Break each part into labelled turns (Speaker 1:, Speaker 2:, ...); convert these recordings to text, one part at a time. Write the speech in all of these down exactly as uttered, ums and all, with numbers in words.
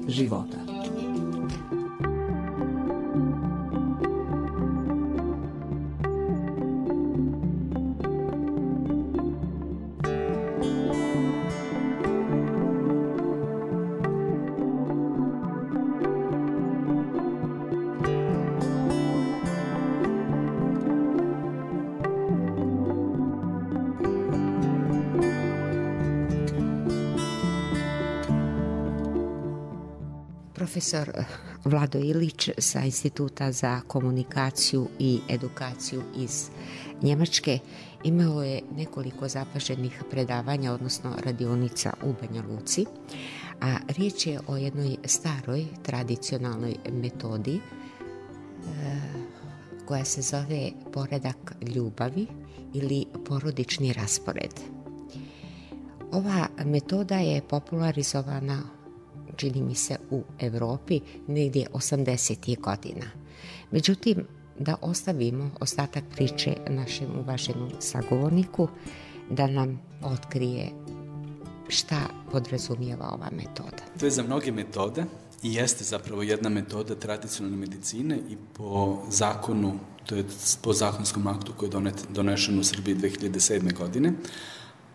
Speaker 1: života.
Speaker 2: Profesor Vlado Ilić sa Instituta za komunikaciju i edukaciju iz Njemačke imao je nekoliko zapaženih predavanja, odnosno radionica u Banja Luci, a riječ je o jednoj staroj tradicionalnoj metodi koja se zove poredak ljubavi ili porodični raspored. Ova metoda je popularizovana, čini mi se, u Evropi negdje osamdesetih godina. Međutim, da ostavimo ostatak priče našem uvaženom sagovorniku da nam otkrije šta podrazumijeva ova metoda.
Speaker 3: To je za mnoge metode i jeste zapravo jedna metoda tradicionalne medicine i po zakonu, to je po zakonskom aktu koji je donešen u Srbiji dve hiljade sedme. godine,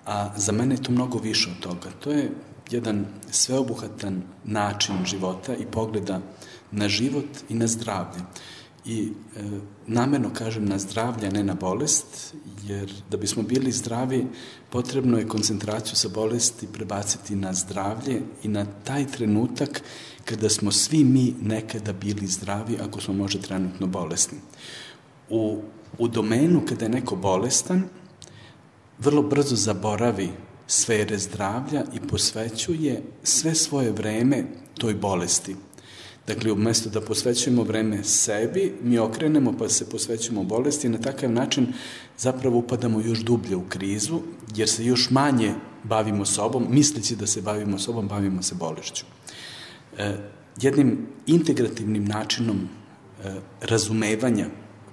Speaker 3: a za mene je to mnogo više od toga. To je jedan sveobuhvatan način života i pogleda na život i na zdravlje. I e, namerno kažem na zdravlje, a ne na bolest, jer da bismo bili zdravi, potrebno je koncentraciju sa bolesti prebaciti na zdravlje i na taj trenutak kada smo svi mi nekada bili zdravi, ako smo možda trenutno bolesni. U, u domenu kada je neko bolestan, vrlo brzo zaboravi sfere zdravlja i posvećuje sve svoje vreme toj bolesti. Dakle, umjesto da posvećujemo vreme sebi, mi okrenemo pa se posvećujemo bolesti i na takav način zapravo upadamo još dublje u krizu, jer se još manje bavimo sobom, misleći da se bavimo sobom, bavimo se bolešću. E, jednim integrativnim načinom e, razumevanja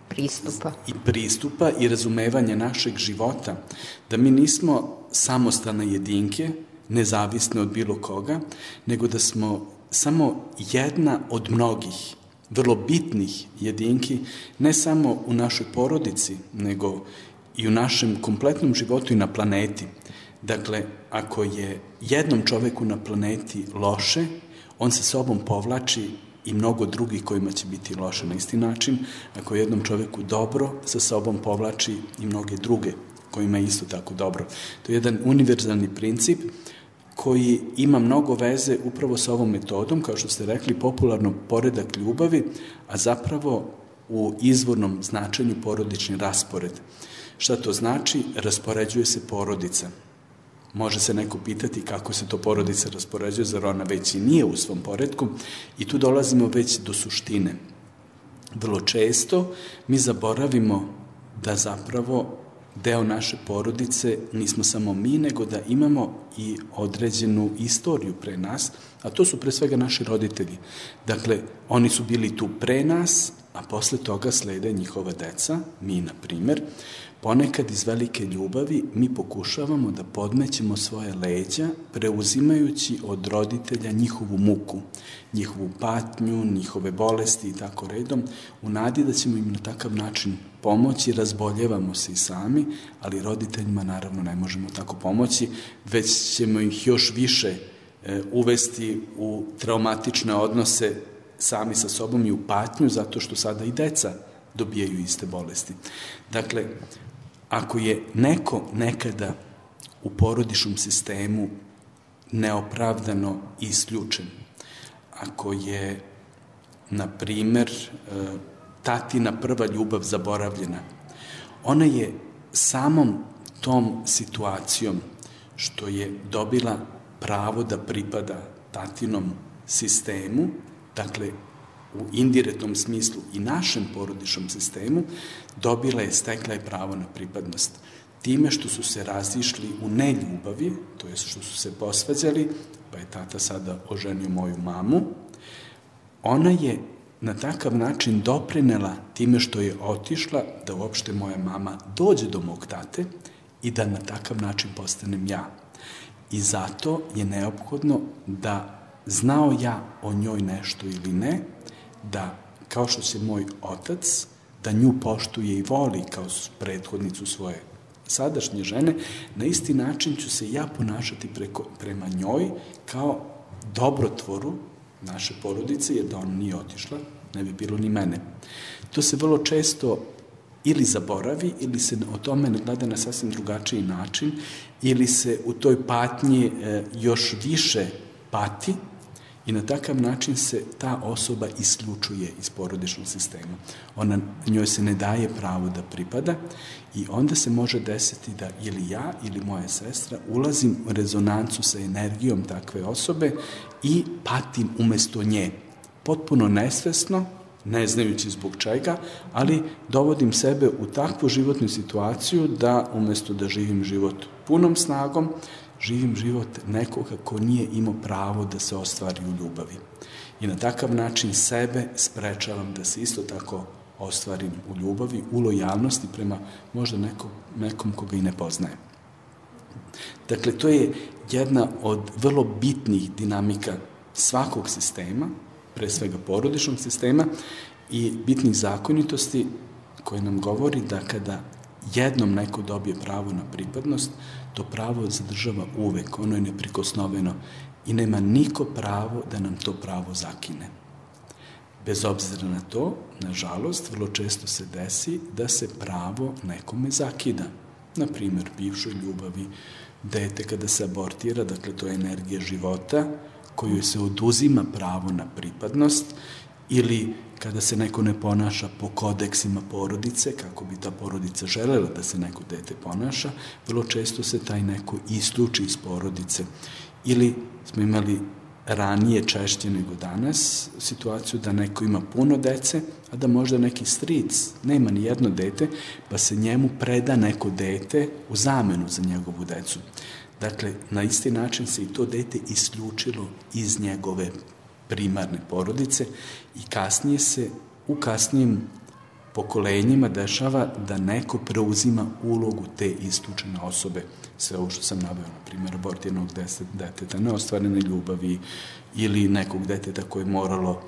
Speaker 2: Pristupa.
Speaker 3: i pristupa i razumevanja našeg života, da mi nismo samostalne jedinke, nezavisne od bilo koga, nego da smo samo jedna od mnogih, vrlo bitnih jedinki, ne samo u našoj porodici, nego i u našem kompletnom životu i na planeti. Dakle, ako je jednom čoveku na planeti loše, on sa sobom povlači i mnogo drugih kojima će biti loše na isti način. Ako je jednom čoveku dobro, sa sobom povlači i mnoge druge kojima je isto tako dobro. To je jedan univerzalni princip koji ima mnogo veze upravo sa ovom metodom, kao što ste rekli, popularno poredak ljubavi, a zapravo u izvornom značenju porodični raspored. Šta to znači? Raspoređuje se porodica. Može se neko pitati kako se to porodica raspoređuje, zar ona već i nije u svom poretku, i tu dolazimo već do suštine. Vrlo često mi zaboravimo da zapravo deo naše porodice nismo samo mi, nego da imamo i određenu istoriju pre nas, a to su pre svega naši roditelji. Dakle, oni su bili tu pre nas, a posle toga slede njihova deca, mi na primer. Ponekad iz velike ljubavi mi pokušavamo da podmećemo svoje leđa, preuzimajući od roditelja njihovu muku, njihovu patnju, njihove bolesti i tako redom, u nadi da ćemo im na takav način pomoći. Razboljevamo se i sami, ali roditeljima naravno ne možemo tako pomoći, već ćemo ih još više e, uvesti u traumatične odnose sami sa sobom i u patnju, zato što sada i deca dobijaju iste bolesti. Dakle, ako je neko nekada u porodičnom sistemu neopravdano isključen, ako je, na primer, tatina prva ljubav zaboravljena, ona je samom tom situacijom što je dobila pravo da pripada tatinom sistemu, dakle, u indirektnom smislu i našem porodičnom sistemu, dobila je, stekla je pravo na pripadnost. Time što su se razišli u neljubavi, to je što su se posvađali, pa je tata sada oženio moju mamu, ona je na takav način doprinela time što je otišla da uopšte moja mama dođe do mog tate i da na takav način postanem ja. I zato je neophodno da znao ja o njoj nešto ili ne, da kao što se moj otac, da nju poštuje i voli kao prethodnicu svoje sadašnje žene, na isti način ću se ja ponašati preko, prema njoj kao dobrotvoru naše porodice, jer da ona nije otišla, ne bi bilo ni mene. To se vrlo često ili zaboravi, ili se o tome ne gleda na sasvim drugačiji način, ili se u toj patnji e, još više pati i na takav način se ta osoba isključuje iz porodičnog sistema. Ona, njoj se ne daje pravo da pripada i onda se može desiti da ili ja ili moja sestra ulazim u rezonancu sa energijom takve osobe i patim umesto nje. Potpuno nesvesno, ne znajući zbog čega, ali dovodim sebe u takvu životnu situaciju da umesto da živim život punom snagom, živim život nekoga ko nije imao pravo da se ostvari u ljubavi. I na takav način sebe sprečavam da se isto tako ostvarim u ljubavi, u lojalnosti prema možda nekom, nekom koga i ne poznajem. Dakle, to je jedna od vrlo bitnih dinamika svakog sistema, pre svega porodičnog sistema i bitnih zakonitosti koje nam govori da kada jednom neko dobije pravo na pripadnost, to pravo zadržava uvek, ono je neprikosnoveno i nema niko pravo da nam to pravo zakine. Bez obzira na to, nažalost, vrlo često se desi da se pravo nekome zakida. Na primjer, bivšoj ljubavi, dete kada se abortira, dakle to je energija života, koju se oduzima pravo na pripadnost, ili kada se neko ne ponaša po kodeksima porodice, kako bi ta porodica želela da se neko dete ponaša, vrlo često se taj neko isključi iz porodice. Ili smo imali ranije, češće nego danas, situaciju da neko ima puno dece, a da možda neki stric nema ni jedno dete, pa se njemu preda neko dete u zamenu za njegovu decu. Dakle, na isti način se i to dete isključilo iz njegove primarne porodice i kasnije se u kasnijim pokolenjima dešava da neko preuzima ulogu te isključene osobe. Sve ovo što sam naveo, na primjer, abortiranog deteta, neostvarene ljubavi ili nekog deteta koje je moralo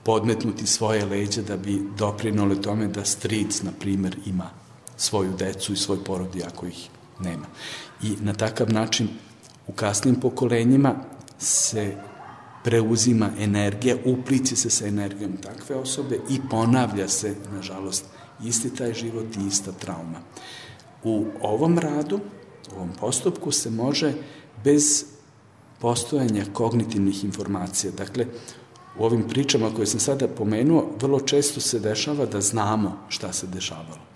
Speaker 3: podmetnuti svoje leđa da bi doprinole tome da stric, na primjer, ima svoju decu i svoj porodi ako ih nema. I na takav način u kasnim pokolenjima se preuzima energija, upliće se sa energijom takve osobe i ponavlja se, nažalost, isti taj život i ista trauma. U ovom radu, u ovom postupku se može bez postojanja kognitivnih informacija. Dakle, u ovim pričama koje sam sada pomenuo, vrlo često se dešava da znamo šta se dešavalo.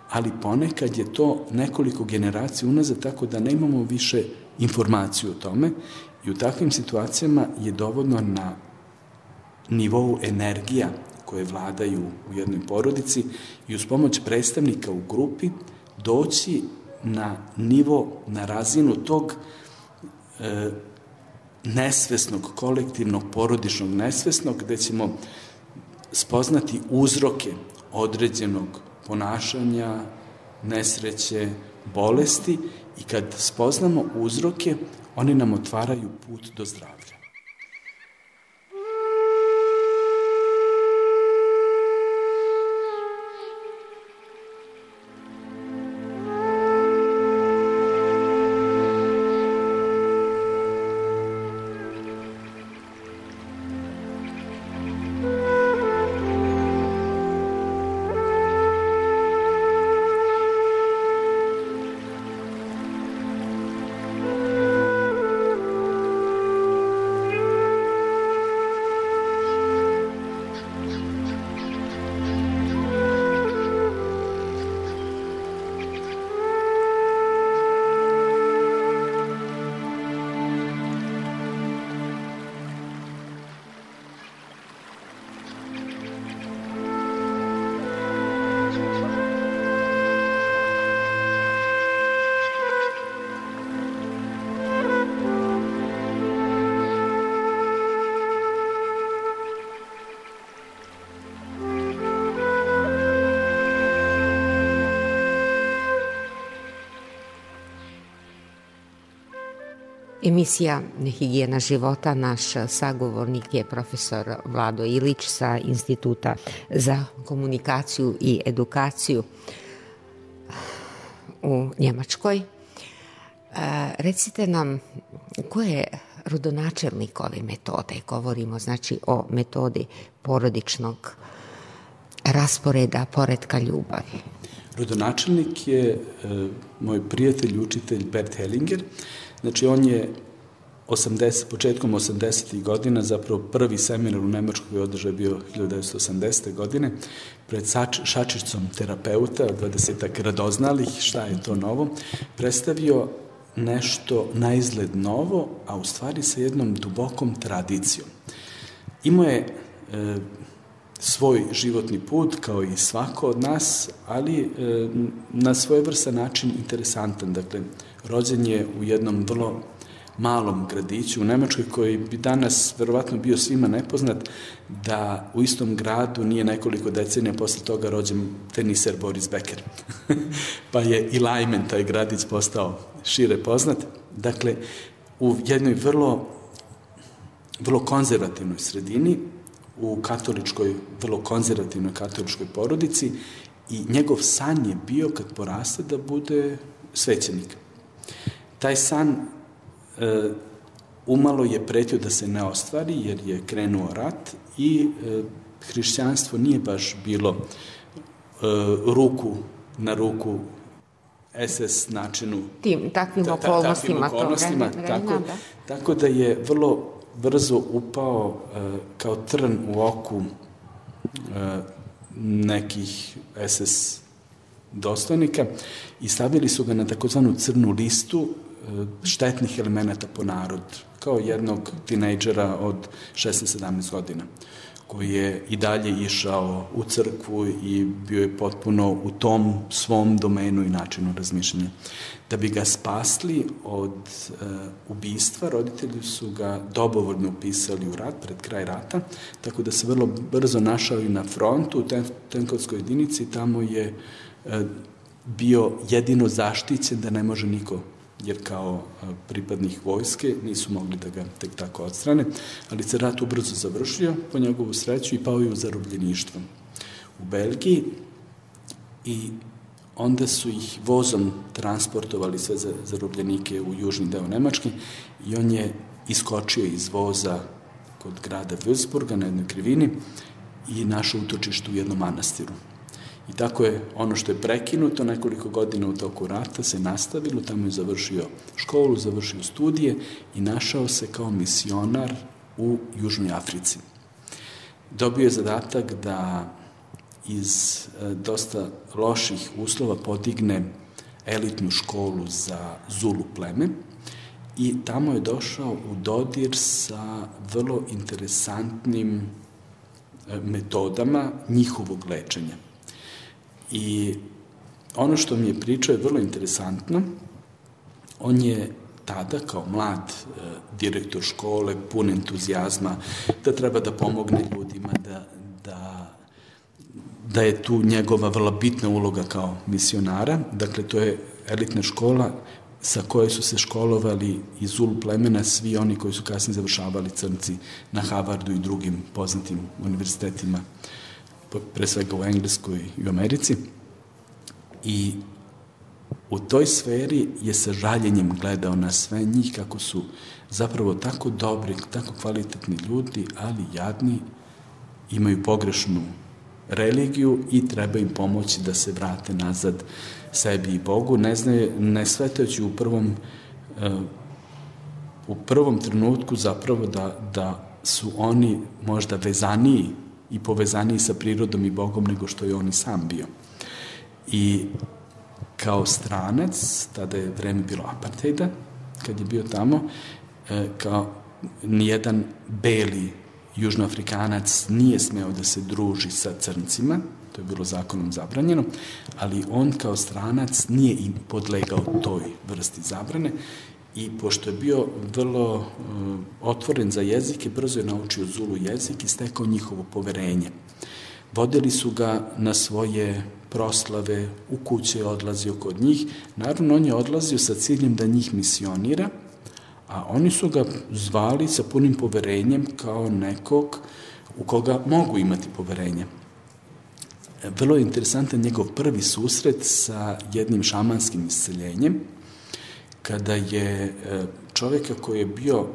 Speaker 3: Ali ponekad je to nekoliko generacija unazad, tako da nemamo više informaciju o tome i u takvim situacijama je dovoljno na nivou energija koje vladaju u jednoj porodici i uz pomoć predstavnika u grupi doći na nivo, na razinu tog e, nesvesnog, kolektivnog, porodičnog nesvesnog, gde ćemo spoznati uzroke određenog ponašanja, nesreće, bolesti i kad spoznamo uzroke, oni nam otvaraju put do zdravlja.
Speaker 2: Emisija Higijena života, naš sagovornik je profesor Vlado Ilić sa Instituta za komunikaciju i edukaciju u Njemačkoj. Recite nam, ko je rodonačelnik ove metode? Govorimo znači o metodi porodičnog rasporeda, poretka ljubavi.
Speaker 3: Rodonačelnik je e, moj prijatelj i učitelj Bert Hellinger. Znači, on je osamdeset, početkom osamdesetih godina, zapravo prvi seminar u Nemačkoj koji je održao bio hiljadu devetsto osamdesete. godine, pred šačicom terapeuta, dvadesetak radoznalih, šta je to novo, predstavio nešto na izgled novo, a u stvari sa jednom dubokom tradicijom. Imao je e, svoj životni put, kao i svako od nas, ali e, na svojevrstan način interesantan. Dakle, rođen je u jednom vrlo malom gradiću u Nemačkoj, koji bi danas verovatno bio svima nepoznat, da u istom gradu nije nekoliko decenija posle toga rođen teniser Boris Becker. Pa je i Lajmen, taj gradić, postao šire poznat. Dakle, u jednoj vrlo, vrlo konzervativnoj sredini, u katoličkoj, vrlo konzervativnoj katoličkoj porodici, i njegov san je bio, kad poraste, da bude svećenik. Taj san e, umalo je pretio da se ne ostvari, jer je krenuo rat i e, hrišćanstvo nije baš bilo e, ruku na ruku es es načinu.
Speaker 2: Tim, takvim ta, ta, okolnostima.
Speaker 3: Takvim okolnostima,
Speaker 2: to vreme,
Speaker 3: tako,
Speaker 2: da.
Speaker 3: tako da je vrlo brzo upao e, kao trn u oku e, nekih es es dostojnika i stavili su ga na takozvanu crnu listu e, štetnih elemenata po narod, kao jednog tinejdžera od šesnaest sedamnaest godina, koji je i dalje išao u crkvu i bio je potpuno u tom svom domenu i načinu razmišljanja. Da bi ga spasli od e, ubistva, roditelji su ga dobrovoljno upisali u rat, pred kraj rata, tako da se vrlo brzo našao i na frontu, u tenkovskoj jedinici, tamo je e, bio jedino zaštićen da ne može niko, jer kao pripadnih vojske nisu mogli da ga tek tako odstrane, ali se rat ubrzo završio, po njegovu sreću, i pao je u zarobljeništvo u Belgiji, i onda su ih vozom transportovali sve zarobljenike u južni deo Nemačke i on je iskočio iz voza kod grada Würzburga na jednoj krivini i našao utočište u jednom manastiru. I tako je ono što je prekinuto nekoliko godina u toku rata se nastavilo, tamo je završio školu, završio studije i našao se kao misionar u Južnoj Africi. Dobio je zadatak da iz e, dosta loših uslova podigne elitnu školu za Zulu pleme i tamo je došao u dodir sa vrlo interesantnim e, metodama njihovog lečenja. I ono što mi je pričao je vrlo interesantno. On je tada, kao mlad e, direktor škole, pun entuzijazma, da treba da pomogne ljudima, da, da, da je tu njegova vrlo bitna uloga kao misionara. Dakle, to je elitna škola sa kojoj su se školovali iz Zulu plemena svi oni koji su kasnije završavali crnci na Harvardu i drugim poznatim univerzitetima, pre svega u Engleskoj i u Americi. I u toj sferi je sa žaljenjem gledao na sve njih, kako su zapravo tako dobri, tako kvalitetni ljudi, ali jadni, imaju pogrešnu religiju i treba im pomoći da se vrate nazad sebi i Bogu. Ne znaju, ne svetajući u prvom uh, u prvom trenutku zapravo da, da su oni možda vezaniji i povezaniji sa prirodom i Bogom nego što je on i sam bio. I kao stranac, tada je vreme bilo apartheida, kad je bio tamo, kao nijedan beli južnoafrikanac nije smeo da se druži sa crncima, to je bilo zakonom zabranjeno, ali on kao stranac nije im podlegao toj vrsti zabrane i pošto je bio vrlo uh, otvoren za jezike, brzo je naučio Zulu jezik i stekao njihovo poverenje. Vodili su ga na svoje proslave, u kuće je odlazio kod njih. Naravno, on je odlazio sa ciljem da njih misionira, a oni su ga zvali sa punim poverenjem kao nekog u koga mogu imati poverenje. Vrlo je interesantan njegov prvi susret sa jednim šamanskim isceljenjem, kada je čovjeka koji je bio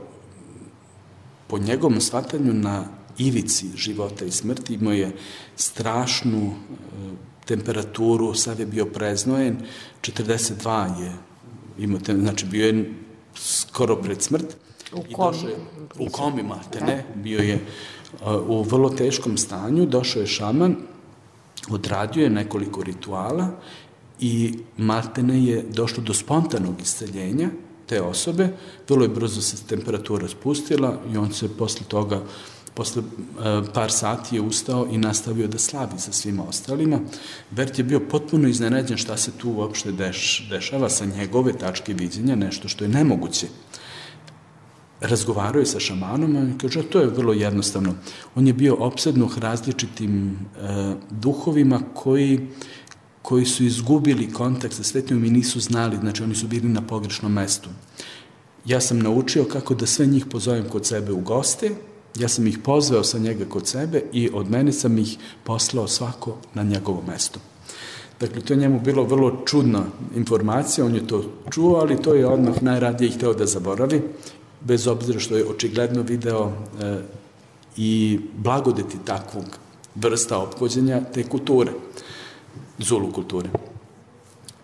Speaker 3: po njegovom shvatanju na ivici života i smrti, imao je strašnu temperaturu, sad je bio preznojen, četrdeset dva je imao, znači bio je skoro pred smrt.
Speaker 2: U komi.
Speaker 3: U komi, mate, ne, bio je u vrlo teškom stanju, došao je šaman, odradio je nekoliko rituala i maltene je došlo do spontanog isceljenja te osobe, vrlo je brzo se temperatura spustila i on se posle toga, posle par sati je ustao i nastavio da slavi sa svima ostalima. Bert je bio potpuno iznenađen šta se tu uopšte deš, dešava sa njegove tačke viđenja, nešto što je nemoguće. Razgovarao je sa šamanom i kaže, to je vrlo jednostavno. On je bio opsednut različitim e, duhovima koji, koji su izgubili kontakt sa svetom i nisu znali, znači oni su bili na pogrešnom mestu. Ja sam naučio kako da sve njih pozovem kod sebe u goste, ja sam ih pozvao sa njega kod sebe i od mene sam ih poslao svako na njegovo mesto. Dakle, to je njemu bilo vrlo čudna informacija, on je to čuo, ali to je odmah najradije ih hteo da zaboravi, bez obzira što je očigledno video e, i blagodeti takvog vrsta ophođenja te kulture, Zulu kulture.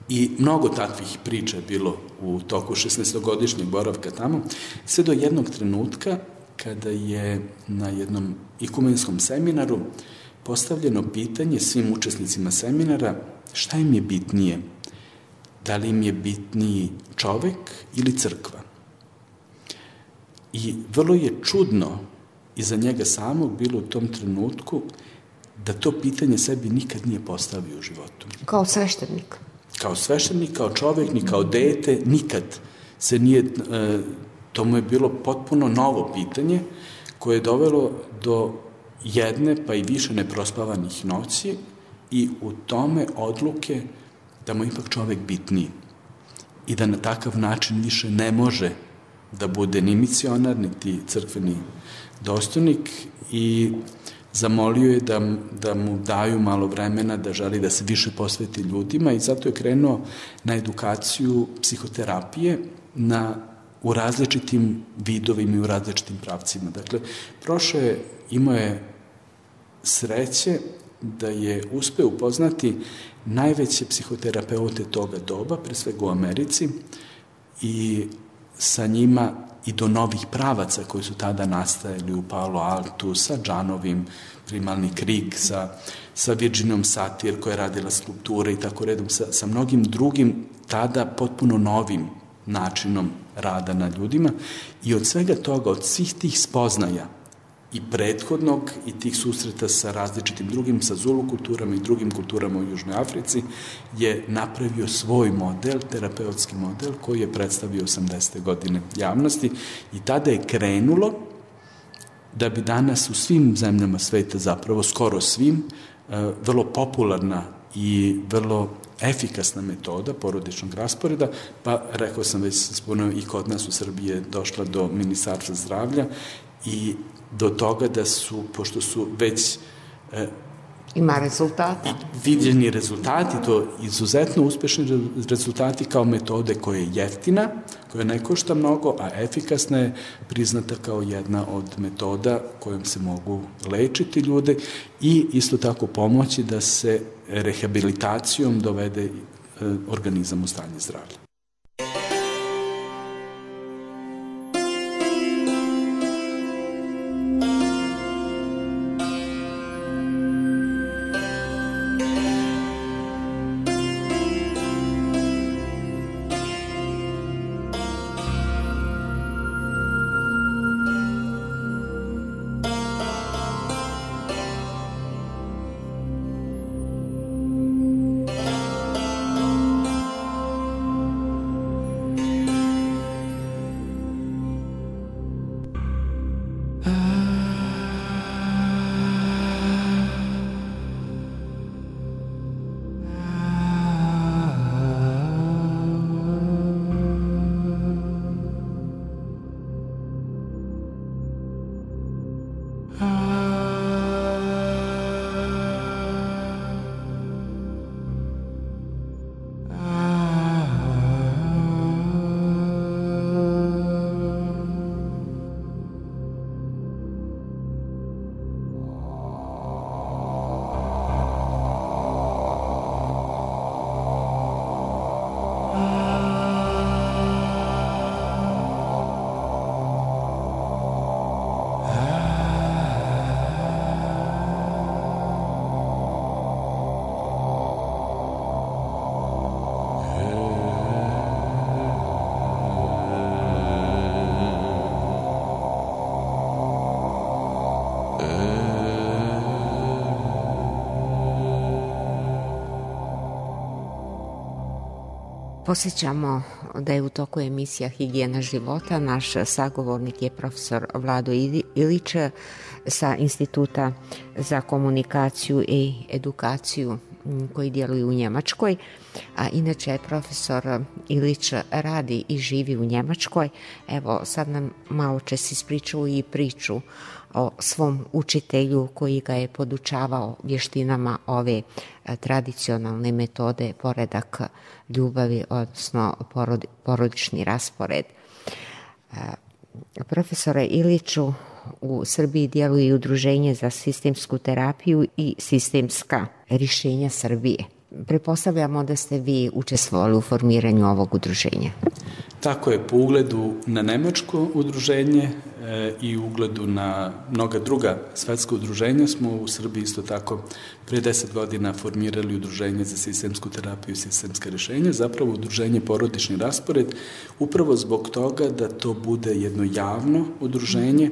Speaker 3: I mnogo takvih priča je bilo u toku šesnaestogodišnjeg boravka tamo, sve do jednog trenutka kada je na jednom ikumenskom seminaru postavljeno pitanje svim učesnicima seminara šta im je bitnije, da li im je bitniji čovek ili crkva. I vrlo je čudno i za njega samog bilo u tom trenutku da to pitanje sebi nikad nije postavio u životu.
Speaker 2: Kao sveštenik.
Speaker 3: Kao sveštenik, kao čovek, ni kao dete, nikad se nije, to mu je bilo potpuno novo pitanje koje je dovelo do jedne pa i više neprospavanih noći i u tome odluke da mu ipak čovek bitniji i da na takav način više ne može da bude ni misionar, niti crkveni dostojnik i zamolio je da, da mu daju malo vremena, da želi da se više posveti ljudima i zato je krenuo na edukaciju psihoterapije na, u različitim vidovima i u različitim pravcima. Dakle, prošao je, imao je sreće da je uspeo upoznati najveće psihoterapeute toga doba, pre svega u Americi, i sa njima i do novih pravaca koji su tada nastajali u Palo Altu, sa Džanovim, primalni Krik, sa, sa Virginom Satir koja je radila skulpture i tako redom, sa, sa mnogim drugim tada potpuno novim načinom rada na ljudima i od svega toga, od svih tih spoznaja i prethodnog i tih susreta sa različitim drugim, sa Zulu kulturama i drugim kulturama u Južnoj Africi, je napravio svoj model, terapeutski model, koji je predstavio osamdesete godine javnosti i tada je krenulo da bi danas u svim zemljama sveta, zapravo skoro svim, vrlo popularna i vrlo efikasna metoda porodičnog rasporeda, pa rekao sam već spomenuo i kod nas u Srbiji je došla do Ministarstva zdravlja i do toga da su, pošto su već e,
Speaker 2: ima rezultata.
Speaker 3: Vidjeni rezultati, to izuzetno uspešni rezultati kao metode koja je jeftina, koja ne košta mnogo, a efikasna je priznata kao jedna od metoda kojom se mogu lečiti ljude i isto tako pomoći da se rehabilitacijom dovede e, organizam u stanje zdravlja.
Speaker 2: Posjećamo da je u toku emisija Higijena života. Naš sagovornik je profesor Vlado Ilić sa Instituta za komunikaciju i edukaciju koji djeluju u Njemačkoj, a inače profesor Ilić radi i živi u Njemačkoj. Evo, sad nam malo čas ispričao i priču o svom učitelju koji ga je podučavao vještinama ove tradicionalne metode poredak ljubavi, odnosno porod, porodični raspored. Profesore Iliću, u Srbiji djeluje i Udruženje za sistemsku terapiju i sistemska rješenja Srbije. Pretpostavljamo da ste vi učestvovali u formiranju ovog udruženja.
Speaker 3: Tako je, po ugledu na nemačko udruženje e, i ugledu na mnoga druga svetska udruženja smo u Srbiji isto tako pre deset godina formirali udruženje za sistemsku terapiju i sistemska rješenja, zapravo udruženje porodični raspored, upravo zbog toga da to bude jedno javno udruženje,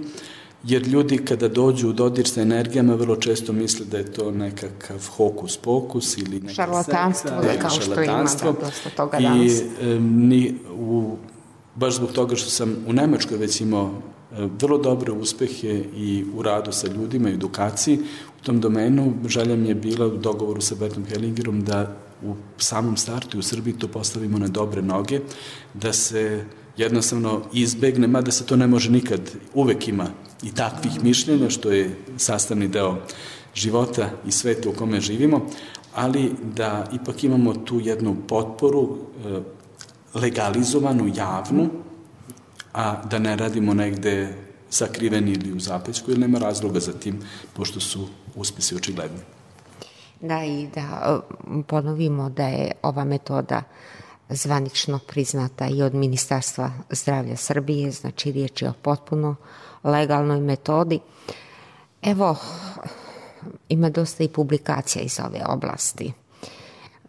Speaker 3: jer ljudi kada dođu u dodir sa energijama vrlo često misle da je to nekakav hokus pokus ili neka
Speaker 2: šarlatanstvo,
Speaker 3: sekta,
Speaker 2: kao što ima da, dosta toga
Speaker 3: i
Speaker 2: danas.
Speaker 3: E, ni, u, baš zbog toga što sam u Nemačkoj već imao e, vrlo dobre uspehe i u radu sa ljudima i edukaciji u tom domenu, želja mi je bila u dogovoru sa Bertom Hellingerom da u samom startu u Srbiji to postavimo na dobre noge, da se jednostavno izbegne, mada se to ne može nikad, uvek ima i takvih mišljenja, što je sastavni deo života i sveta u kome živimo, ali da ipak imamo tu jednu potporu legalizovanu, javnu, a da ne radimo negde sakriveni ili u zapećku, jer nema razloga za tim, pošto su uspesi očigledni.
Speaker 2: Da, i da ponovimo da je ova metoda zvanično priznata i od Ministarstva zdravlja Srbije, znači riječ je o potpuno legalnoj metodi. Evo, ima dosta i publikacija iz ove oblasti,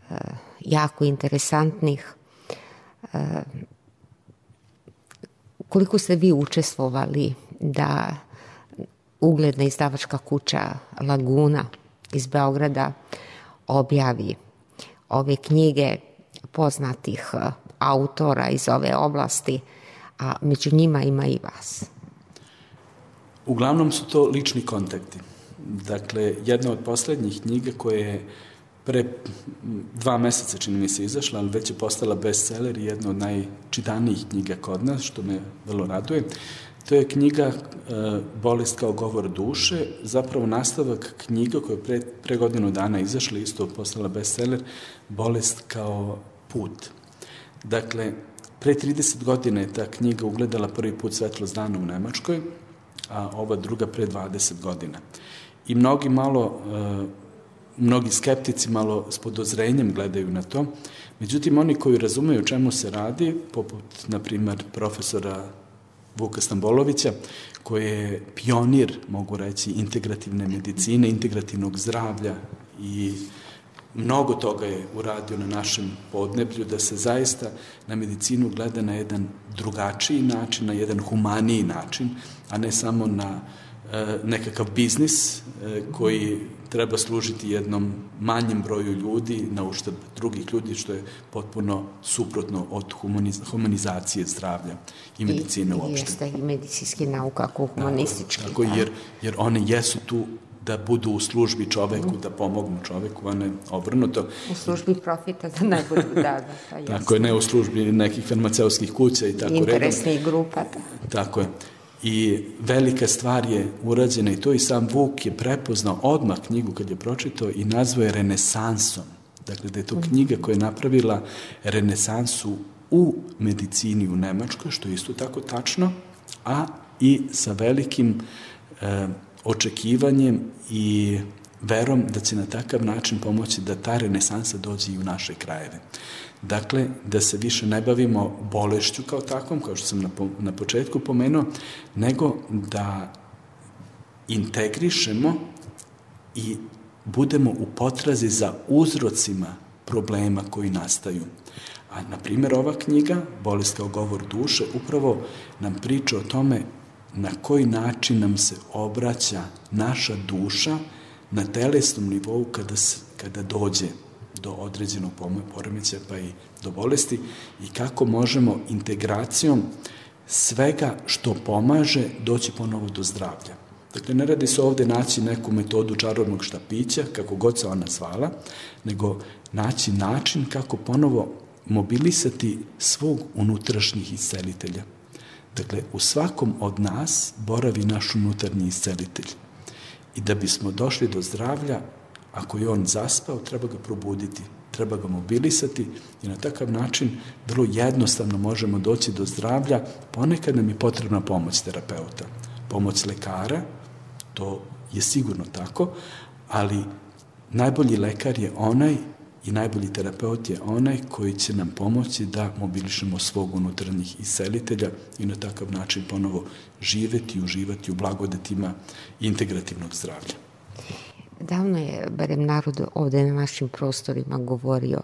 Speaker 2: e, jako interesantnih. E, koliko ste vi učestvovali da ugledna izdavačka kuća Laguna iz Beograda objavi ove knjige poznatih autora iz ove oblasti, a među njima ima i vas?
Speaker 3: Uglavnom su to lični kontakti. Dakle, jedna od poslednjih knjiga koja je pre dva meseca, čini mi se, izašla, ali već je postala bestseller i jedna od najčitanijih knjiga kod nas, što me vrlo raduje. To je knjiga e, Bolest kao govor duše, zapravo nastavak knjiga koja je pre, pre godinu dana izašla, isto postala bestseller, Bolest kao put. Dakle, pre trideset godina je ta knjiga ugledala prvi put svetlost dana u Nemačkoj, a ova druga pre dvadeset godina. I mnogi malo, e, mnogi skeptici malo s podozrenjem gledaju na to, međutim oni koji razumeju o čemu se radi, poput, na primer, profesora Vuka Stambolovića, koji je pionir, mogu reći, integrativne medicine, integrativnog zdravlja i mnogo toga je uradio na našem podneblju, da se zaista na medicinu gleda na jedan drugačiji način, na jedan humaniji način, a ne samo na e, nekakav biznis e, koji treba služiti jednom manjem broju ljudi na uštrb drugih ljudi, što je potpuno suprotno od humaniz humanizacije zdravlja i medicine
Speaker 2: I,
Speaker 3: uopšte.
Speaker 2: Jeste i medicinski nauka ako humanistički.
Speaker 3: Tako, tako jer, jer one jesu tu da budu u službi čoveku, mm. da pomognu čoveku, a ne obrnuto.
Speaker 2: U službi profita, da ne budu, da, da. Pa
Speaker 3: tako je, ne u službi nekih farmaceutskih kuća i tako redom.
Speaker 2: Interesnih grupa. Da.
Speaker 3: Tako je. I velika stvar je urađena i to i sam Vuk je prepoznao odmah knjigu kad je pročitao i nazvao je renesansom. Dakle, da je to knjiga koja je napravila renesansu u medicini u Nemačkoj, što je isto tako tačno, a i sa velikim e, očekivanjem i verom da će na takav način pomoći da ta renesansa dođe i u naše krajeve. Dakle, da se više ne bavimo bolešću kao takvom, kao što sam na, po, na početku pomenuo, nego da integrišemo i budemo u potrazi za uzrocima problema koji nastaju. A, na primjer, ova knjiga, Bolest kao govor duše, upravo nam priča o tome na koji način nam se obraća naša duša na telesnom nivou kada, se, kada dođe do određenog poremećaja pa i do bolesti i kako možemo integracijom svega što pomaže doći ponovo do zdravlja. Dakle, ne radi se ovde naći neku metodu čarobnog štapića, kako god se ona zvala, nego naći način kako ponovo mobilisati svog unutrašnjih iscelitelja. Dakle, u svakom od nas boravi naš unutarnji iscelitelj. I da bismo došli do zdravlja, ako je on zaspao, treba ga probuditi, treba ga mobilisati i na takav način vrlo jednostavno možemo doći do zdravlja. Ponekad nam je potrebna pomoć terapeuta, pomoć lekara, to je sigurno tako, ali najbolji lekar je onaj i najbolji terapeut je onaj koji će nam pomoći da mobilišemo svog unutarnjih iscelitelja i na takav način ponovo živeti i uživati u blagodetima integrativnog zdravlja.
Speaker 2: Davno je, barem narod ovde na našim prostorima, govorio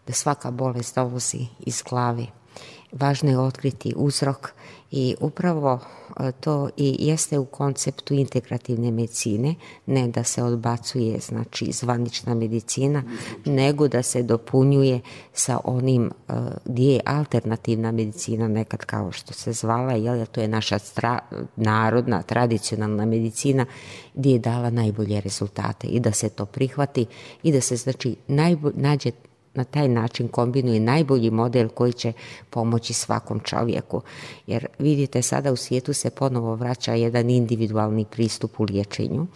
Speaker 2: da svaka bolest dolazi iz glave. Važno je otkriti uzrok i upravo to i jeste u konceptu integrativne medicine, ne da se odbacuje, znači, zvanična medicina, nego da se dopunjuje sa onim gdje je alternativna medicina nekad kao što se zvala, jer to je naša stra, narodna, tradicionalna medicina gdje je dala najbolje rezultate i da se to prihvati i da se, znači, najbolj, nađe na taj način kombinuje najbolji model koji će pomoći svakom čovjeku. Jer vidite, sada u svijetu se ponovo vraća jedan individualni pristup u liječenju,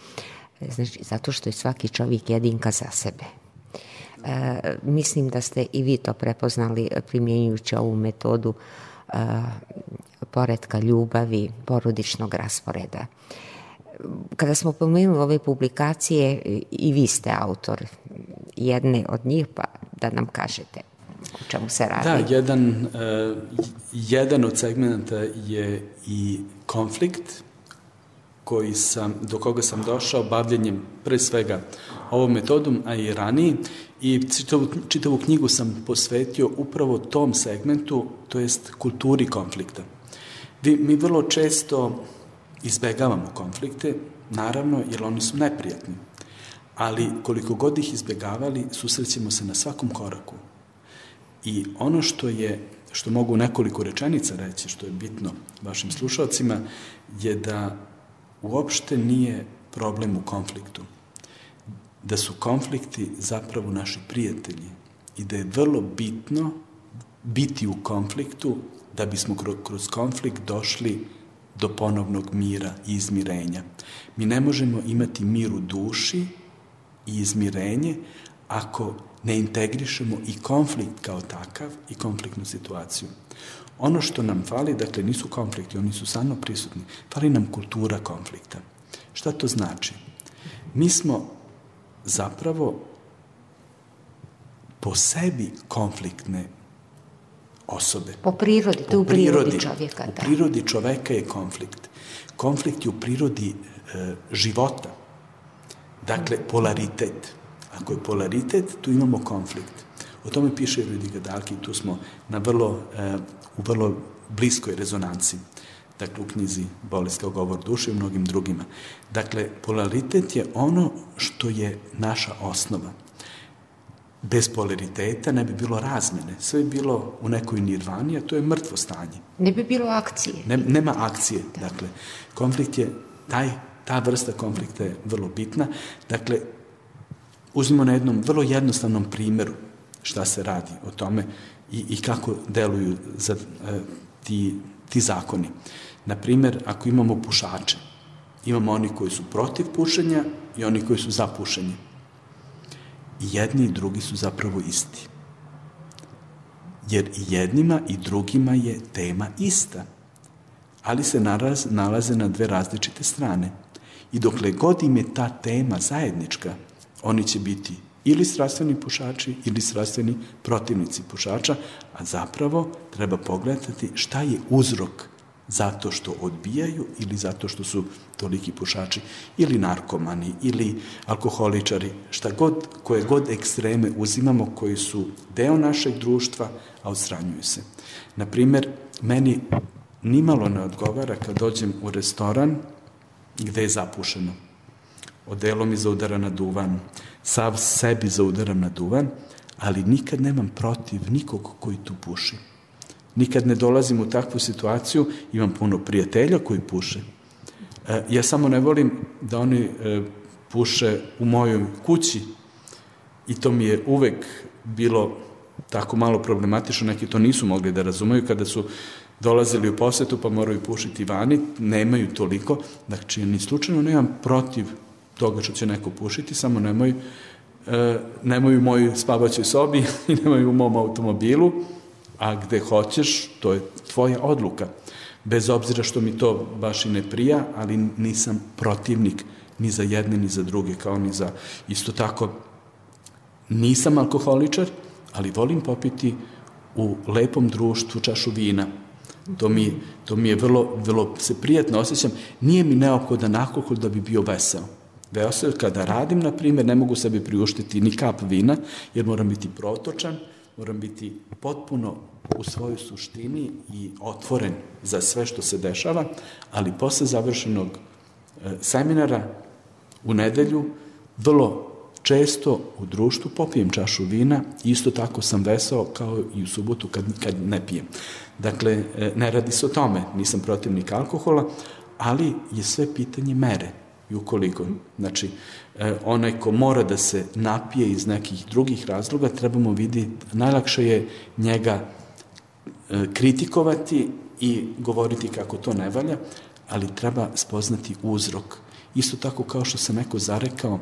Speaker 2: znači, zato što je svaki čovjek jedinka za sebe. E, mislim da ste i vi to prepoznali primjenjujući ovu metodu e, poretka ljubavi, porodičnog rasporeda. Kada smo pomenuli ove publikacije, i vi ste autor jedne od njih, pa da nam kažete o čemu se radi.
Speaker 3: Da, jedan, uh, jedan od segmenta je i konflikt koji sam, do koga sam došao bavljenjem pre svega ovom metodom, a i ranije, i čitavu, čitavu knjigu sam posvetio upravo tom segmentu, to jest kulturi konflikta. Vi, mi vrlo često izbegavamo konflikte, naravno, jer oni su neprijatni. Ali koliko god ih izbjegavali, susrećemo se na svakom koraku. I ono što je, što mogu nekoliko rečenica reći, što je bitno vašim slušalcima, je da uopšte nije problem u konfliktu. Da su konflikti zapravo naši prijatelji i da je vrlo bitno biti u konfliktu da bismo kroz konflikt došli do ponovnog mira i izmirenja. Mi ne možemo imati mir u duši i izmirenje ako ne integrišemo i konflikt kao takav i konfliktnu situaciju. Ono što nam fali, dakle, nisu konflikti, oni su stvarno prisutni, fali nam kultura konflikta. Šta to znači? Mi smo zapravo po sebi konfliktne osobe.
Speaker 2: Po prirodi, to u prirodi čovjeka.
Speaker 3: U prirodi čoveka je konflikt. Konflikt je u prirodi e, života. Dakle, polaritet. Ako je polaritet, tu imamo konflikt. O tome piše Rüdiger Dahlke i tu smo na vrlo, e, u vrlo bliskoj rezonanci. Dakle, u knjizi Bolest kao govor duše i mnogim drugima. Dakle, polaritet je ono što je naša osnova. Bez polariteta ne bi bilo razmene. Sve bi bilo u nekoj nirvani, a to je mrtvo stanje.
Speaker 2: Ne bi bilo akcije.
Speaker 3: Ne, nema akcije. Dakle, konflikt je, taj, ta vrsta konflikta je vrlo bitna. Dakle, uzmimo na jednom vrlo jednostavnom primjeru šta se radi o tome i, i kako deluju za, e, ti, ti zakoni. Na primjer, ako imamo pušače, imamo oni koji su protiv pušenja i oni koji su za pušenje. I jedni i drugi su zapravo isti. Jer i jednima i drugima je tema ista, ali se naraz, nalaze na dve različite strane. I dokle god im je ta tema zajednička, oni će biti ili strastveni pušači ili strastveni protivnici pušača, a zapravo treba pogledati šta je uzrok zato što odbijaju ili zato što su toliki pušači ili narkomani ili alkoholičari, šta god, koje god ekstreme uzimamo koji su deo našeg društva, a odstranjuju se. Naprimjer, meni nimalo ne odgovara kad dođem u restoran gde je zapušeno. Odelo mi zaudara na duvan, sav sebi zaudaram na duvan, ali nikad nemam protiv nikog koji tu puši. Nikad ne dolazim u takvu situaciju, imam puno prijatelja koji puše. Ja samo ne volim da oni puše u mojoj kući i to mi je uvek bilo tako malo problematično, neki to nisu mogli da razumeju kada su dolazili u posetu pa moraju pušiti vani, nemaju toliko, znači ni slučajno nemam protiv toga što će neko pušiti, samo nemoj, e, nemoj u mojoj spavaćoj sobi i nemoj u mom automobilu, a gde hoćeš, to je tvoja odluka. Bez obzira što mi to baš i ne prija, ali nisam protivnik ni za jedne, ni za druge, kao ni za isto tako. Nisam alkoholičar, ali volim popiti u lepom društvu čašu vina. To mi, to mi je vrlo, vrlo se prijatno osjećam. Nije mi neophodan alkohol da bi bio veseo. Veseo, kada radim, na primjer, ne mogu sebi priuštiti ni kap vina, jer moram biti protočan, moram biti potpuno u svojoj suštini i otvoren za sve što se dešava, ali posle završenog e, seminara u nedelju, vrlo često u društvu popijem čašu vina, isto tako sam veseo kao i u subotu kad, kad ne pijem. Dakle, ne radi se o tome, nisam protivnik alkohola, ali je sve pitanje mere. I ukoliko, znači, onaj ko mora da se napije iz nekih drugih razloga, trebamo vidjeti, najlakše je njega kritikovati i govoriti kako to ne valja, ali treba spoznati uzrok. Isto tako kao što se neko zarekao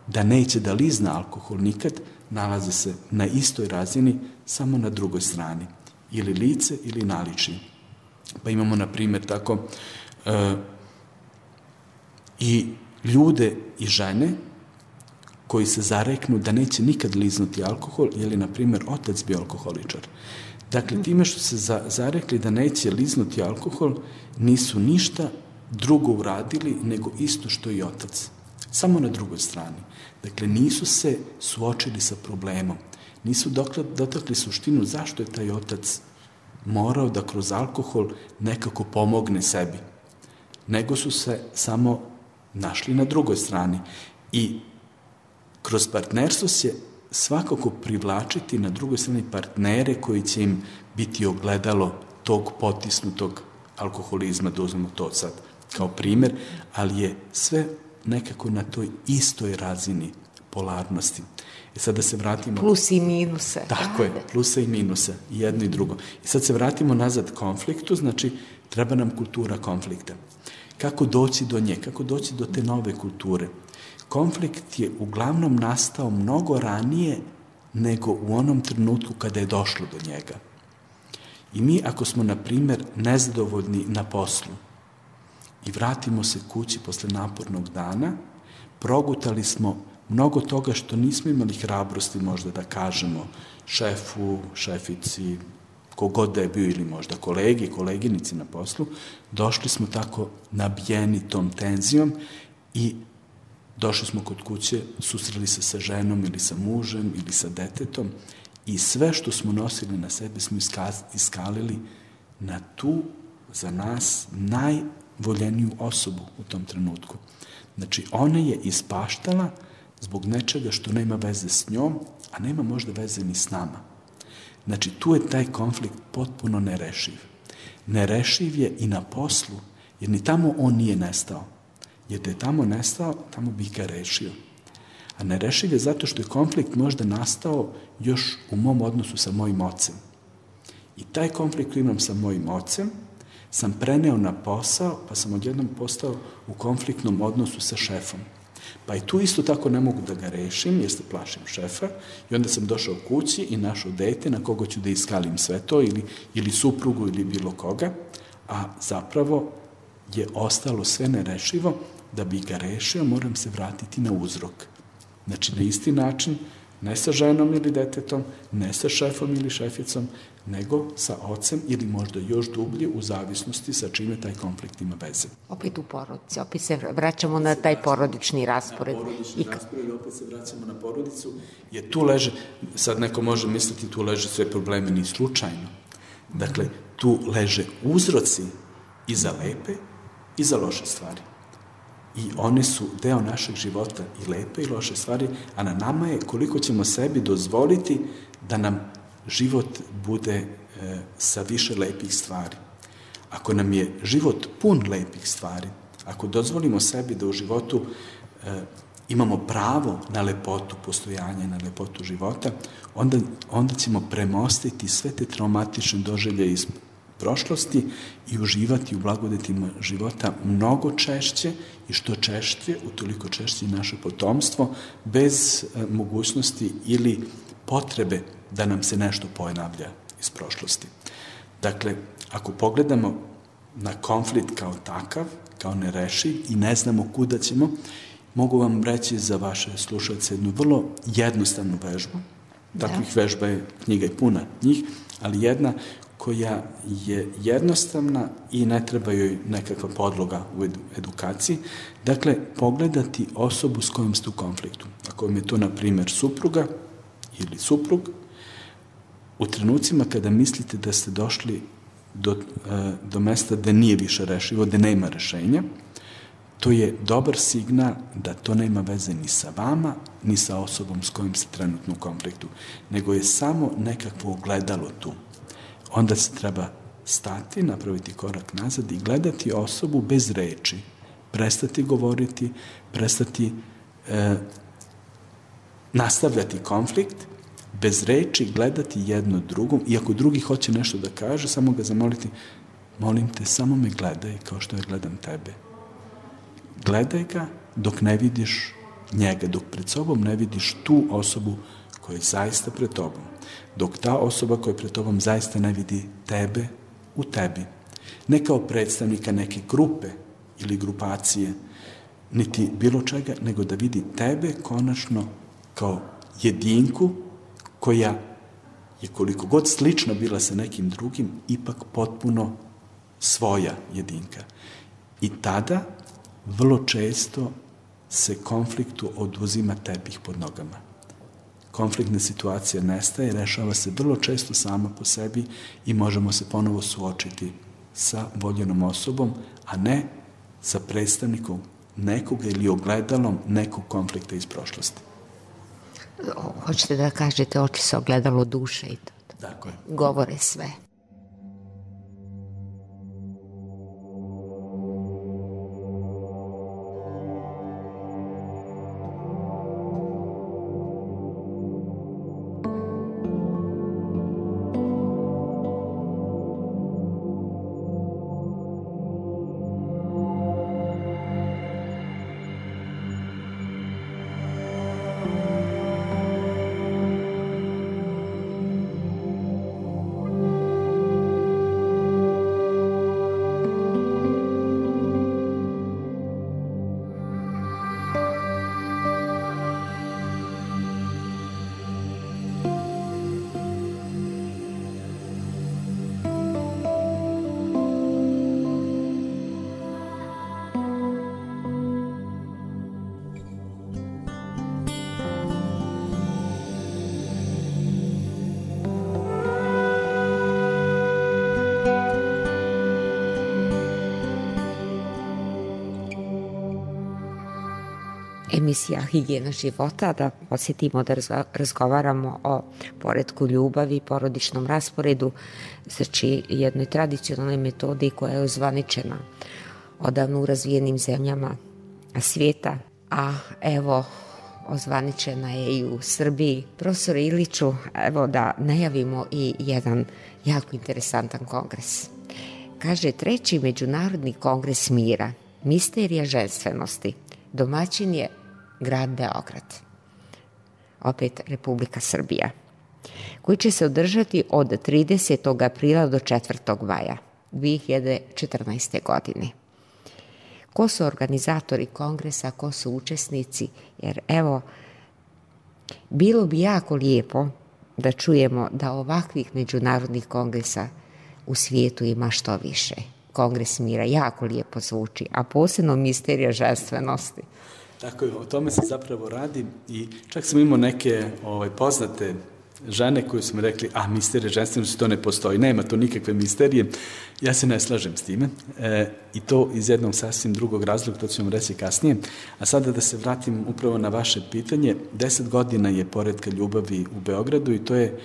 Speaker 3: da neće da lizna alkohol nikad, nalaze se na istoj razini, samo na drugoj strani. Ili lice ili naličje. Pa imamo, na primjer, tako e, i ljude i žene koji se zareknu da neće nikad liznuti alkohol, ili, na primjer, otac bio alkoholičar. Dakle, time što se za, zarekli da neće liznuti alkohol, nisu ništa drugo uradili nego isto što i otac. Samo na drugoj strani. Dakle, nisu se suočili sa problemom. Nisu dotakli suštinu zašto je taj otac morao da kroz alkohol nekako pomogne sebi. Nego su se samo našli na drugoj strani. I kroz partnerstvo se svakako privlačiti na drugoj strani partnere koji će im biti ogledalo tog potisnutog alkoholizma, da uzmemo to sad kao primjer, ali je sve nekako na toj istoj razini polarnosti. I sad da se vratimo...
Speaker 2: Plus i minuse.
Speaker 3: Tako je, plusa i minusa, i jedno i drugo. I sad se vratimo nazad konfliktu, znači treba nam kultura konflikta. Kako doći do nje, kako doći do te nove kulture? Konflikt je uglavnom nastao mnogo ranije nego u onom trenutku kada je došlo do njega. I mi, ako smo, na primjer, nezadovoljni na poslu i vratimo se kući posle napornog dana, progutali smo mnogo toga što nismo imali hrabrosti možda da kažemo šefu, šefici, kogod da je bio, ili možda kolegi, koleginici na poslu, došli smo tako nabijeni tom tenzijom i došli smo kod kuće, susreli se sa ženom ili sa mužem ili sa detetom i sve što smo nosili na sebe smo iskalili na tu, za nas, najvoljeniju osobu u tom trenutku. Znači, ona je ispaštala zbog nečega što nema veze s njom, a nema možda veze ni s nama. Znači, tu je taj konflikt potpuno nerešiv. Nerešiv je i na poslu, jer ni tamo on nije nestao. Jer da je tamo nestao, tamo bi ga rešio. A nerešiv je zato što je konflikt možda nastao još u mom odnosu sa mojim ocem. I taj konflikt koji imam sa mojim ocem sam preneo na posao, pa sam odjednom postao u konfliktnom odnosu sa šefom. Pa i tu isto tako ne mogu da ga rešim, jer se plašim šefa, i onda sam došao kući i našao dete na koga ću da iskalim sve to, ili, ili suprugu, ili bilo koga, a zapravo je ostalo sve nerešivo. Da bi ga rešio, moram se vratiti na uzrok. Znači, na isti način, ne sa ženom ili detetom, ne sa šefom ili šeficom, nego sa ocem ili možda još dublje u zavisnosti sa čime taj konflikt ima veze.
Speaker 2: Opet u porodici, opet se vraćamo na taj porodični raspored.
Speaker 3: Na porodični raspored, opet se vraćamo na porodicu, jer tu leže, sad neko može misliti, tu leže sve probleme, ni slučajno. Dakle, tu leže uzroci i za lepe i za loše stvari. i one su deo našeg života, i lepe i loše stvari, a na nama je koliko ćemo sebi dozvoliti da nam život bude e, sa više lepih stvari. Ako nam je život pun lepih stvari, ako dozvolimo sebi da u životu e, imamo pravo na lepotu postojanja, na lepotu života, onda, onda ćemo premostiti sve te traumatične doživlje iz prošlosti i uživati u blagodetima života mnogo češće i što češće, utoliko češće i naše potomstvo, bez e, mogućnosti ili potrebe da nam se nešto ponavlja iz prošlosti. Dakle, ako pogledamo na konflikt kao takav, kao nerešiv i ne znamo kuda ćemo, mogu vam reći za vaše slušalce jednu vrlo jednostavnu vežbu. Takvih da. vežba je knjiga i puna njih, ali jedna koja je jednostavna i ne treba joj nekakva podloga u edukaciji. Dakle, pogledati osobu s kojom ste u konfliktu. Ako vam je to, na primjer, supruga ili suprug, u trenucima kada mislite da ste došli do, do mesta gde nije više rešivo, gde nema rešenja, to je dobar signal da to nema veze ni sa vama, ni sa osobom s kojim ste trenutno u konfliktu, nego je samo nekakvo ogledalo tu. Onda se treba stati, napraviti korak nazad i gledati osobu bez reči, prestati govoriti, prestati e, nastavljati konflikt, bez reči gledati jedno drugom, i ako drugi hoće nešto da kaže, samo ga zamoliti, molim te, samo me gledaj kao što ja gledam tebe. Gledaj ga dok ne vidiš njega, dok pred sobom ne vidiš tu osobu koja je zaista pred tobom, dok ta osoba koja je pred tobom zaista ne vidi tebe u tebi. Ne kao predstavnika neke grupe ili grupacije, niti bilo čega, nego da vidi tebe konačno kao jedinku koja je koliko god slična bila sa nekim drugim, ipak potpuno svoja jedinka. I tada vrlo često se konfliktu oduzima tepih pod nogama. Konfliktna situacija nestaje, rešava se vrlo često sama po sebi i možemo se ponovo suočiti sa voljenom osobom, a ne sa predstavnikom nekoga ili ogledalom nekog konflikta iz prošlosti.
Speaker 2: Hoćete da kažete, oči se ogledalo duše i to.
Speaker 3: Tako je.
Speaker 2: Govore sve. Emisija Higijena života, da posjetimo da razgovaramo o poretku ljubavi, porodičnom rasporedu, znači jednoj tradicionalnoj metodi koja je ozvaničena odavno u razvijenim zemljama svijeta, a evo ozvaničena je i u Srbiji. Profesore Iliću, evo da najavimo i jedan jako interesantan kongres. Kaže, treći Međunarodni kongres mira, misterija ženstvenosti. Domaćin je grad Beograd, opet Republika Srbija, koji će se održati od tridesetog aprila do četvrtog maja dve hiljade četrnaeste. godine. Ko su organizatori kongresa, ko su učesnici, jer evo, bilo bi jako lijepo da čujemo da ovakvih međunarodnih kongresa u svijetu ima što više. Kongres mira jako lijepo zvuči, a posebno misterija ženstvenosti.
Speaker 3: Tako je, o tome se zapravo radi i čak sam imao neke ovaj, poznate žene koje su mi rekli, a misterija ženstvenosti, to ne postoji, nema to nikakve misterije, ja se ne slažem s time e, i to iz jednog sasvim drugog razloga, to ću vam reći kasnije. A sada da se vratim upravo na vaše pitanje, deset godina je poretka ljubavi u Beogradu i to je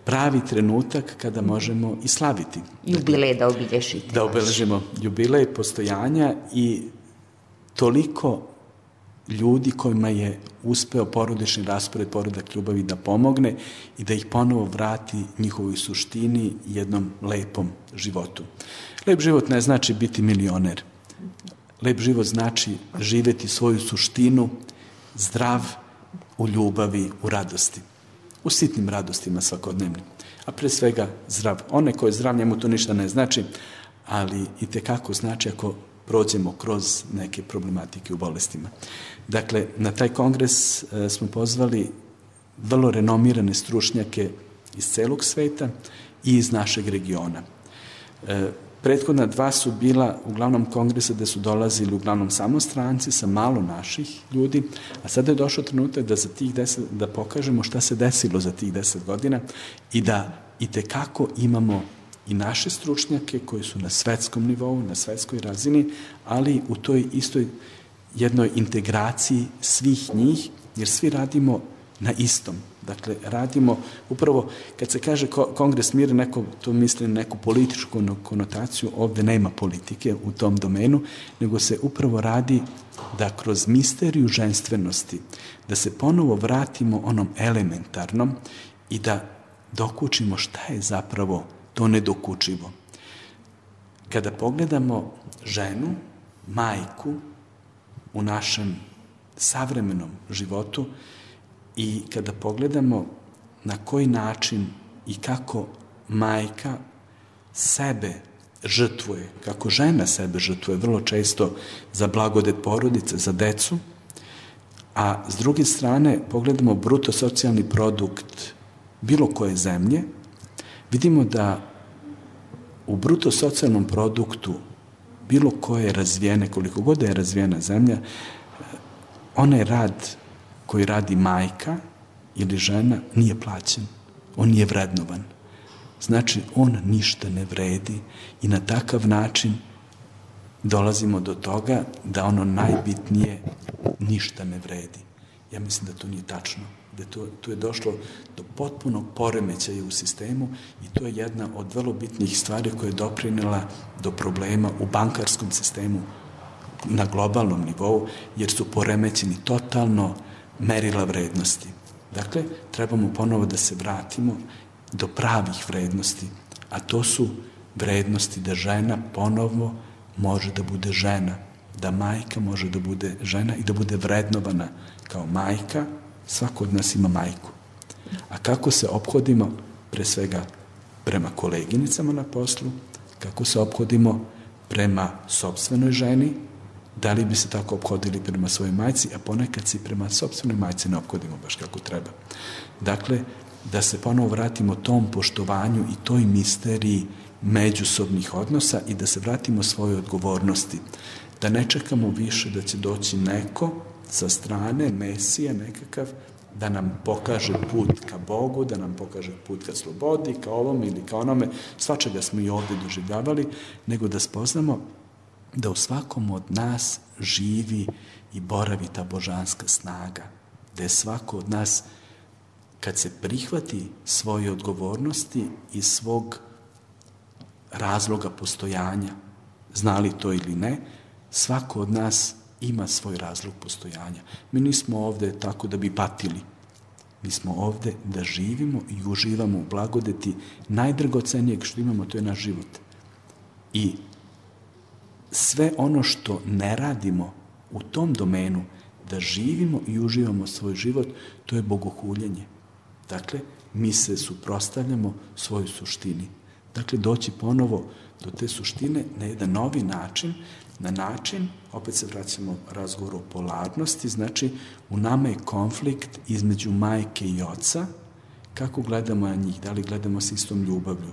Speaker 3: pravi trenutak kada možemo i slaviti.
Speaker 2: Jubilej da obilježite.
Speaker 3: Da obeležimo jubilej postojanja i toliko ljudi kojima je uspeo porodični raspored, poredak ljubavi da pomogne i da ih ponovo vrati njihovoj suštini, jednom lepom životu. Lep život ne znači biti milioner. Lep život znači živeti svoju suštinu, zdrav, u ljubavi, u radosti. U sitnim radostima svakodnevnim. A pre svega zdrav. One koje je zdrav, njemu to ništa ne znači, ali i tekako znači ako prođemo kroz neke problematike u bolestima. Dakle, na taj kongres e, smo pozvali vrlo renomirane stručnjake iz celog sveta i iz našeg regiona. E, prethodna dva su bila uglavnom kongresa gde su dolazili uglavnom samo stranci sa malo naših ljudi, a sada je došao trenutak da za tih deset, da pokažemo šta se desilo za tih deset godina i da i tekako imamo i naše stručnjake koji su na svetskom nivou, na svetskoj razini, ali u toj istoj jednoj integraciji svih njih, jer svi radimo na istom. Dakle, radimo, upravo kad se kaže Kongres mira, neko to misli na neku političku konotaciju, ovde nema politike u tom domenu, nego se upravo radi da kroz misteriju ženstvenosti, da se ponovo vratimo onom elementarnom i da dokučimo šta je zapravo to nedokučivo. Kada pogledamo ženu, majku u našem savremenom životu i kada pogledamo na koji način i kako majka sebe žrtvuje, kako žena sebe žrtvuje vrlo često za blagodet porodice, za decu, a s druge strane pogledamo bruto socijalni produkt bilo koje zemlje, vidimo da u bruto socijalnom produktu bilo koje razvijene, koliko god je razvijena zemlja, onaj rad koji radi majka ili žena nije plaćen, on nije vrednovan. Znači, on ništa ne vredi i na takav način dolazimo do toga da ono najbitnije ništa ne vredi. Ja mislim da to nije tačno. Da to, to je došlo do potpunog poremećaja u sistemu i to je jedna od vrlo bitnih stvari koja je doprinela do problema u bankarskom sistemu na globalnom nivou, jer su poremećeni totalno merila vrednosti. Dakle, trebamo ponovo da se vratimo do pravih vrednosti, a to su vrednosti da žena ponovo može da bude žena, da majka može da bude žena i da bude vrednovana kao majka. Svako od nas ima majku. A kako se ophodimo, pre svega prema koleginicama na poslu, kako se ophodimo prema sopstvenoj ženi, da li bi se tako ophodili prema svojoj majci, a ponekad se prema sopstvenoj majci ne ophodimo baš kako treba. Dakle, da se ponovo vratimo tom poštovanju i toj misteriji međusobnih odnosa i da se vratimo svojoj odgovornosti. Da ne čekamo više da će doći neko sa strane, Mesija nekakav, da nam pokaže put ka Bogu, da nam pokaže put ka slobodi, ka ovom ili ka onome, svačega smo i ovde doživljavali, nego da spoznamo da u svakom od nas živi i boravi ta božanska snaga, da je svako od nas, kad se prihvati svoje odgovornosti i svog razloga postojanja, znali to ili ne, svako od nas ima svoj razlog postojanja. Mi nismo ovde tako da bi patili. Mi smo ovde da živimo i uživamo u blagodeti najdragocenijeg što imamo, to je naš život. I sve ono što ne radimo u tom domenu, da živimo i uživamo svoj život, to je bogohuljenje. Dakle, mi se suprotstavljamo svojoj suštini. Dakle, doći ponovo do te suštine na jedan novi način, na način, opet se vraćamo razgovoru o polarnosti, znači u nama je konflikt između majke i oca, kako gledamo na njih, da li gledamo s istom ljubavlju.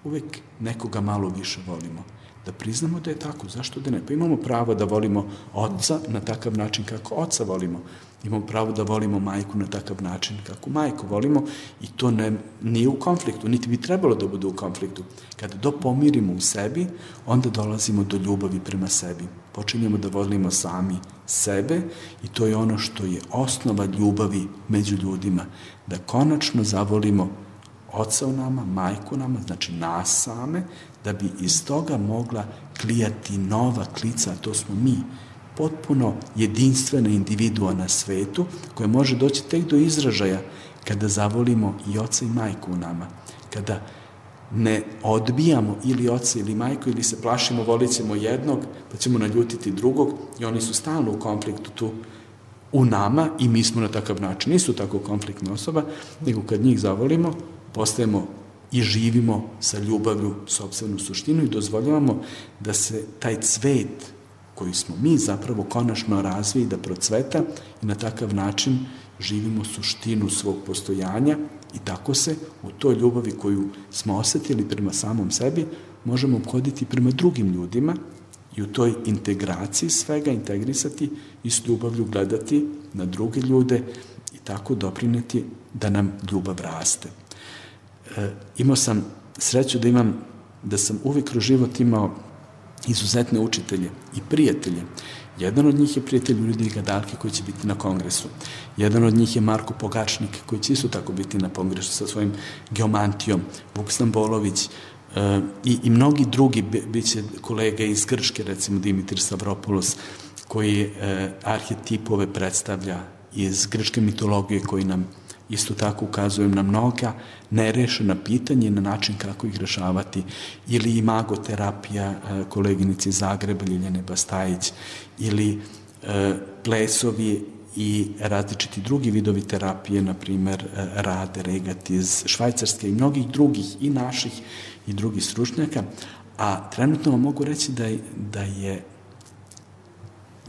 Speaker 3: Uvek nekoga malo više volimo, da priznamo da je tako, zašto da ne? Pa imamo pravo da volimo oca na takav način kako oca volimo. Imamo pravo da volimo majku na takav način kako majku volimo i to ne, nije u konfliktu, niti bi trebalo da bude u konfliktu. Kada to pomirimo u sebi, onda dolazimo do ljubavi prema sebi. Počinjemo da volimo sami sebe i to je ono što je osnova ljubavi među ljudima. Da konačno zavolimo oca u nama, majku u nama, znači nas same, da bi iz toga mogla klijati nova klica, a to smo mi, potpuno jedinstvena individua na svetu, koja može doći tek do izražaja kada zavolimo i oca i majku u nama, kada ne odbijamo ili oca ili majku ili se plašimo, volit ćemo jednog, pa ćemo naljutiti drugog i oni su stalno u konfliktu tu u nama i mi smo na takav način. Nisu tako konfliktna osoba, nego kad njih zavolimo, postajemo i živimo sa ljubavlju sopstvenu suštinu i dozvoljavamo da se taj cvet koji smo mi zapravo konačno razviji, da procveta i na takav način živimo suštinu svog postojanja i tako se u toj ljubavi koju smo osetili prema samom sebi možemo obhoditi prema drugim ljudima i u toj integraciji svega integrisati i s ljubavlju gledati na druge ljude i tako doprineti da nam ljubav raste. E, imao sam sreću da imam, da sam uvijek kroz život imao izuzetne učitelje i prijatelje. Jedan od njih je prijatelj Ljudvika Dahlke koji će biti na kongresu. Jedan od njih je Marko Pogačnik koji će isto tako biti na kongresu sa svojim geomantijom, Vuk Stambolović e, i, i mnogi drugi, bit će kolege iz Grčke, recimo Dimitir Stavropoulos, koji e, arhetipove predstavlja iz grčke mitologije koji nam isto tako ukazujem na mnoga nerešena pitanja i na način kako ih rešavati. Ili imagoterapija koleginici Zagreba, Ljiljane Bastajić, ili e, plesovi i različiti drugi vidovi terapije, na primer Rade Regat iz Švajcarske i mnogih drugih i naših i drugih stručnjaka. A trenutno vam mogu reći da je, da je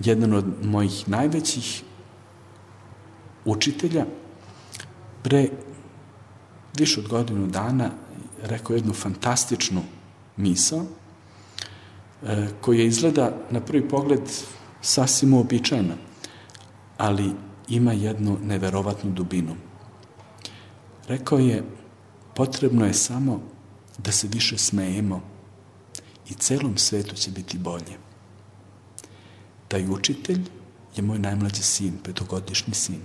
Speaker 3: jedan od mojih najvećih učitelja pre više od godinu dana rekao jednu fantastičnu misao e, koja izgleda na prvi pogled sasvim uobičajena, ali ima jednu neverovatnu dubinu. Rekao je, potrebno je samo da se više smejemo i celom svetu će biti bolje. Taj učitelj je moj najmlađi sin, petogodišnji sin,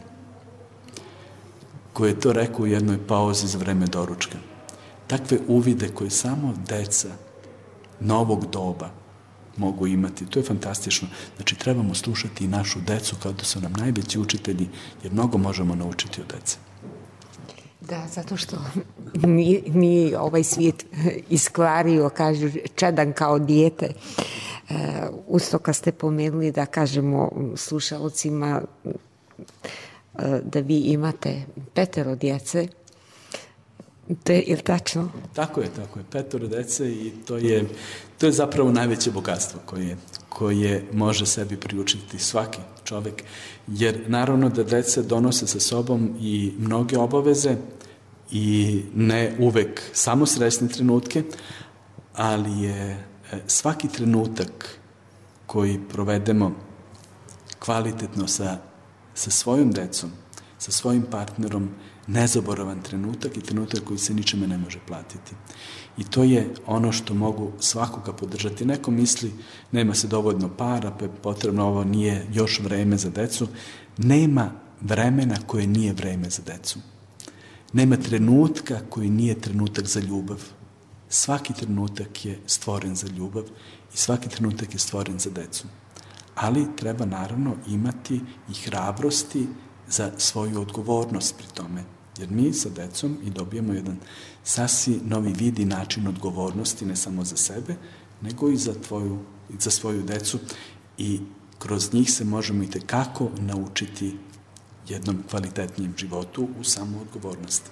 Speaker 3: koji je to rekao u jednoj pauzi za vreme doručka. Takve uvide koje samo deca novog doba mogu imati, to je fantastično. Znači, trebamo slušati i našu decu kao da su nam najveći učitelji, jer mnogo možemo naučiti od dece.
Speaker 2: Da, zato što nije, nije ovaj svijet iskvario, kažu, čedan kao dijete. Uh, usto kad ste pomenuli da kažemo slušalcima da vi imate petero djece, to je, je li tačno?
Speaker 3: Tako je, tako je, petero djece i to je, to je zapravo najveće bogatstvo koje, koje može sebi priučiti svaki čovek, jer naravno da deca donose sa sobom i mnoge obaveze i ne uvek samo srećne trenutke, ali je svaki trenutak koji provedemo kvalitetno sa sa svojom decom, sa svojim partnerom, nezaboravan trenutak i trenutak koji se ničeme ne može platiti. I to je ono što mogu svakoga podržati. Neko misli, nema se dovoljno para, pa je potrebno, ovo nije još vreme za decu. Nema vremena koje nije vreme za decu. Nema trenutka koji nije trenutak za ljubav. Svaki trenutak je stvoren za ljubav i svaki trenutak je stvoren za decu. Ali treba naravno imati i hrabrosti za svoju odgovornost pri tome. Jer mi sa decom i dobijemo jedan sasvim novi vid i način odgovornosti, ne samo za sebe, nego i za, tvoju, za svoju decu i kroz njih se možemo i tekako naučiti jednom kvalitetnijem životu u samoodgovornosti.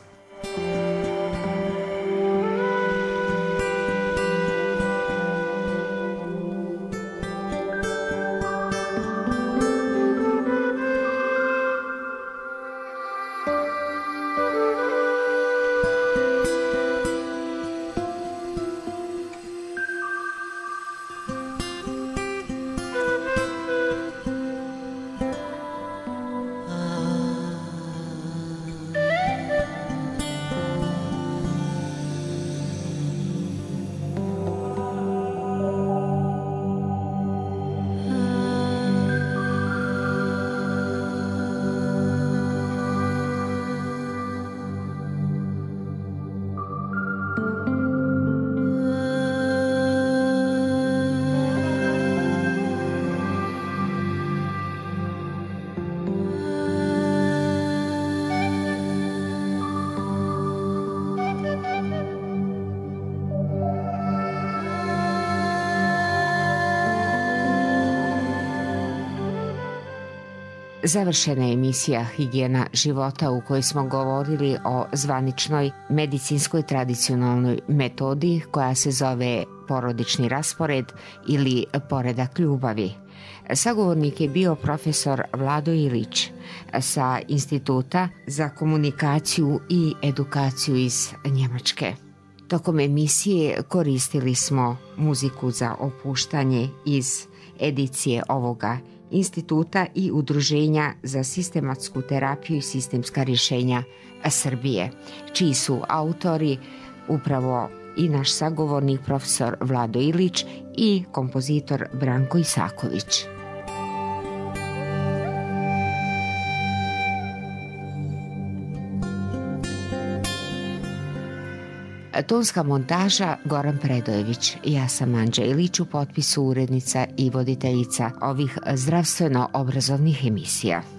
Speaker 2: Završena je emisija Higijena života u kojoj smo govorili o zvaničnoj medicinskoj tradicionalnoj metodi koja se zove porodični raspored ili poredak ljubavi. Sagovornik je bio profesor Vlado Ilić sa Instituta za komunikaciju i edukaciju iz Njemačke. Tokom emisije koristili smo muziku za opuštanje iz edicije ovoga instituta i Udruženja za sistematsku terapiju i sistemska rješenja Srbije, čiji su autori upravo i naš sagovornik profesor Vlado Ilić i kompozitor Branko Isaković. Tonska montaža Goran Predojević. Ja sam Anđa Ilić, u potpisu urednica i voditeljica ovih zdravstveno-obrazovnih emisija.